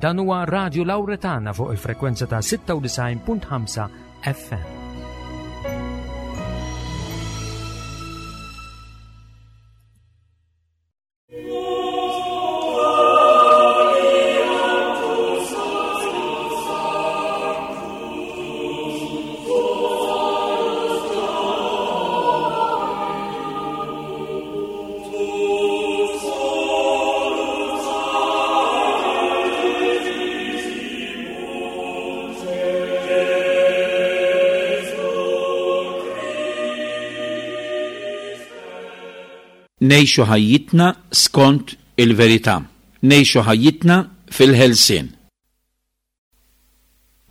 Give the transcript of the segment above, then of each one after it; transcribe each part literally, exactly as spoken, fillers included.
Dan huwa Radio Lauretana fuq il-frekwenza ta' sitta u disgħin punt ħamsa F M. Ngħixu ħajjitna skont il-verità. Ngħixu ħajjitna fil-ħelsien.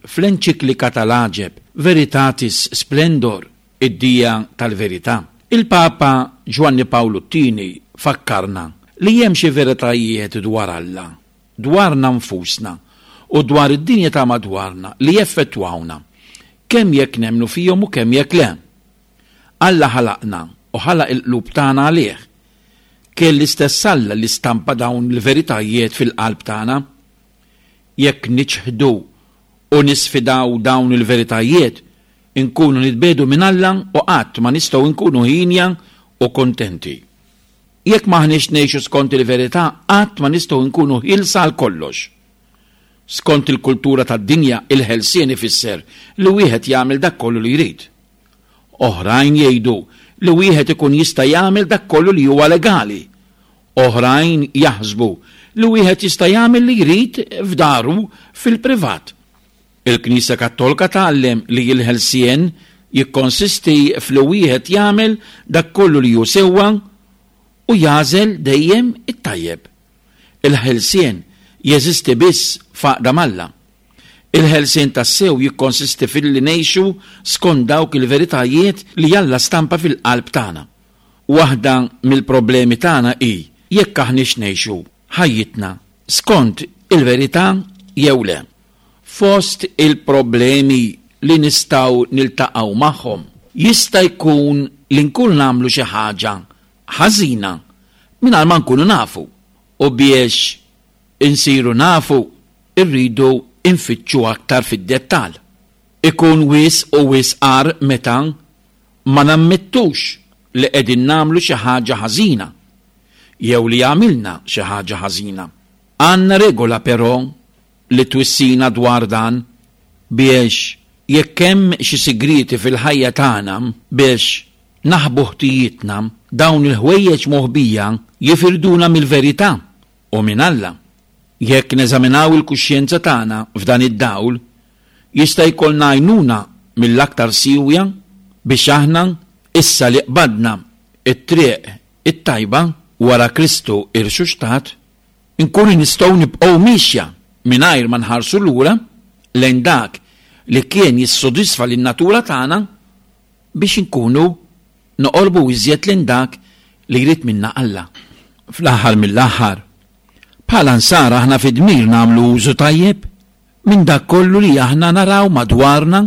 Fl-enċiklika tal-għaġeb Veritatis Splendor, id-dija tal-verità, il-Papa Ġwanni Pawlu t-Tieni fakkarna li hemm xi veritajiet dwar Alla, dwarna nfusna u dwar id-dinja ta' madwarna li jeffettwawna, kemm jekk nemmnu fihom u kemm jekk le. Alla ħalaqna u ħalaq il-qlub tagħna għalih. Kien l-istess Alla li stampa dawn il-veritajiet fil-qalb tagħna. Jekk niċħdu u nisfidaw dawn il-veritajiet, inkunu nitbiegħdu minn Alla u qatt ma nistgħu nkunu hienja u kontenti. Jekk m'aħniex ngħixu skont il-verità, qatt ma nistgħu nkunu ħielsa għal kollox. Skont il-kultura tad-dinja, il-ħelsien ifisser li wieħed jagħmel dak kollu li jrid. Oħrajn jgħidu li wieħed ikun jista' jagħmel dak kollu li huwa legali. Oħrajn jaħsbu li wieħed jista' jagħmel li jrid f'daru fil-privat. Il-Knisja Kattolika tgħallem li l-ħelsien jikkonsisti f'li wieħed jagħmel dak kollu li hu sewwa u jagħżel dejjem it-tajjeb. Il-ħelsien jeżisti biss f'għaqda m'Alla. Il-ħelsien tassew jikkonsisti fil-li ngħixu skont dawk il-veritajiet li Alla stampa fil-qalb tagħna. Waħda mill-problemi tagħna hi jekk aħniex ngħixu ħajjitna skont il-verità jew le. Fost il-problemi li nistgħu niltaqgħu magħhom jista' jkun li nkun nagħmlu xi ħaġa ħażina mingħajr ma nkunu nafu, u biex insiru nafu irridu infittxu aktar fid-dettal. Ikun wisq u wisq agħar meta ma nammettux li qegħdin nagħmlu xi ħaġa ħażina jew li għamilna xi ħaġa ħażina. Għandna regola però li twissina dwar dan, biex jekk hemm xi sigrieti fil-ħajja tagħna biex naħbu ħtijietna, dawn il-ħwejjeġ moħbija jifirduna mill-verità u minn Alla. Jekk neżaminaw il-kuxjenza tagħna f'dan id-dawl, jista' jkollna għajnuna mill-aktar siwja biex aħna, issa li qbadna it-triq it-tajba wara Kristu irxuxtat, inkunu nistgħu nibqgħu mixja mingħajr ma nħarsu lura lejn dak li kien jissodisfa lin-natura tagħna, biex inkunu noqorbu iżjed lejn dak li jrid minna Alla. Fl-aħħar mill-aħħar, bħala nsara aħna fi dmir nagħmlu użu tajjeb minn dak kollu li aħna naraw madwarna.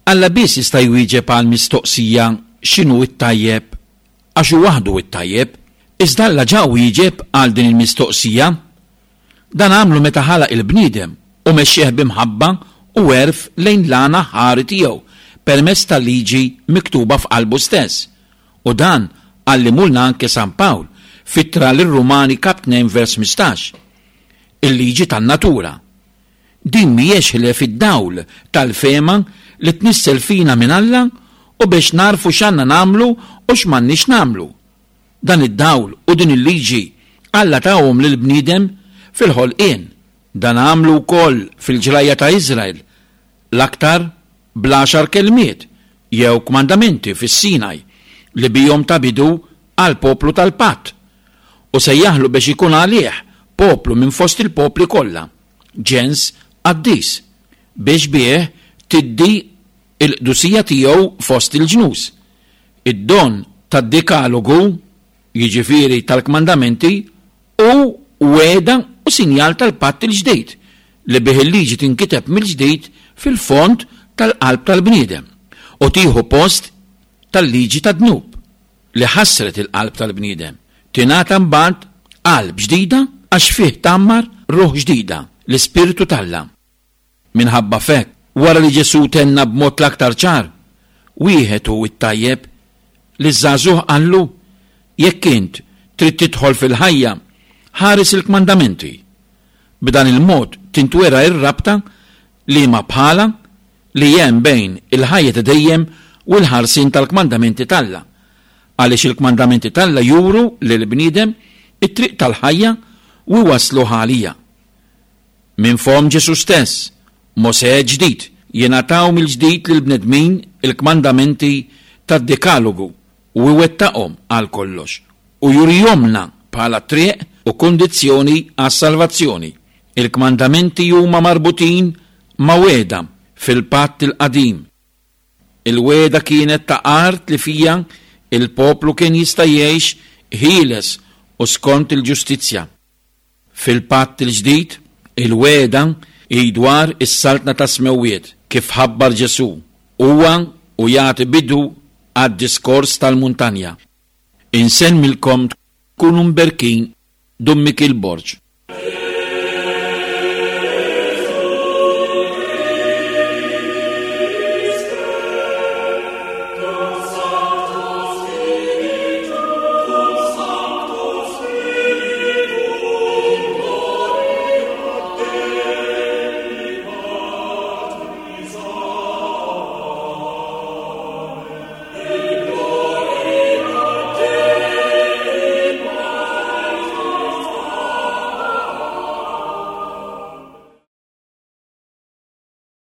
Alla biss jista' jwieġeb għal mistoqsija x'inhu t-tajjeb, għax hu waħdu t-tajjeb. Iżda Alla ġa wieġeb għal din il-mistoqsija. Dan għamlu meta ħalaq il-bniedem u mexxih b'imħabba u għerf lejn l-għan aħħari tiegħu permezz tal-liġi miktuba f'qalbu stess. U dan għallimulna anke San Pawl f'ittra lir-Rumani kap tnejn vers ħmistax. Il-liġi tan-natura. Din mhijiex ħlief id-dawl tal-fehma li tnissel fina minn Alla u biex narfu x'għandna nagħmlu u x'm'għandniex nagħmlu. Dan id-dawl u din il-liġi Alla tahom lill-bniedem fil-ħolqien. Dan għamlu wkoll fil-ġrajja ta' Iżrael, l-aktar bl-għaxar kelmiet jew kmandamenti fis-Sinaj li bihom ta bidu għal poplu tal-patt u sejjaħlu biex ikun għalih poplu minn fost il-popli kollha, ġens qaddis, biex bih tiddi il-qdusija tiegħu fost il-ġnus. Id-don tad-dekalogu, jiġifieri tal-kmandamenti, hu wegħda u sinjal tal-patt il-ġdid li bih il-liġi tinkiteb mill-ġdid fil-fond tal-qalb tal-bniedem u tieħu post tal-liġi tad-dnub li ħassret il-qalb tal-bniedem. Tingħata mbagħad qalb ġdida għax fih tgħammar ruħ ġdida l-Ispirtu t'Alla. Minħabba f'hekk, wara li Ġesù tenna b'mod l-aktar ċar, wieħed hu t-tajjeb, liż-żagħżugħ qallu, jekk int trid tidħol fil-ħajja, ħares il-kmandamenti. B'dan il-mod tintwera r-rabta li ma bħala li hemm bejn il-ħajja ta' dejjem u l-ħarsien tal-kmandamenti t'Alla, għaliex il-kmandamenti t'Alla juru lill-bniedem it-triq tal-ħajja u jwassluh għaliha. Minn fomm Ġesù stess, Mosè ġdid, jingħataw mill-ġdid lill-bnedmin il-kmandamenti tad-Dekalogu u iwettaqhom għal kollox u jurihomlna bħala triq u kundizzjoni għas-salvazzjoni. Il-kmandamenti huma marbutin ma' wegħda fil-Patt il-Qadim. Il-wegħda kienet ta' art li fija il-poplu kien jista' jgħix ħieles u skont il-ġustizzja. Fil-Patt il-Ġdid, il-wegħda hi dwar is-saltna tas-smewwiet, kif ħabbar Ġesù, huwa u jagħti bidu għad-diskors tal-muntanja. Insellmilkom tkunu mberkin Dun Mikiel Borg.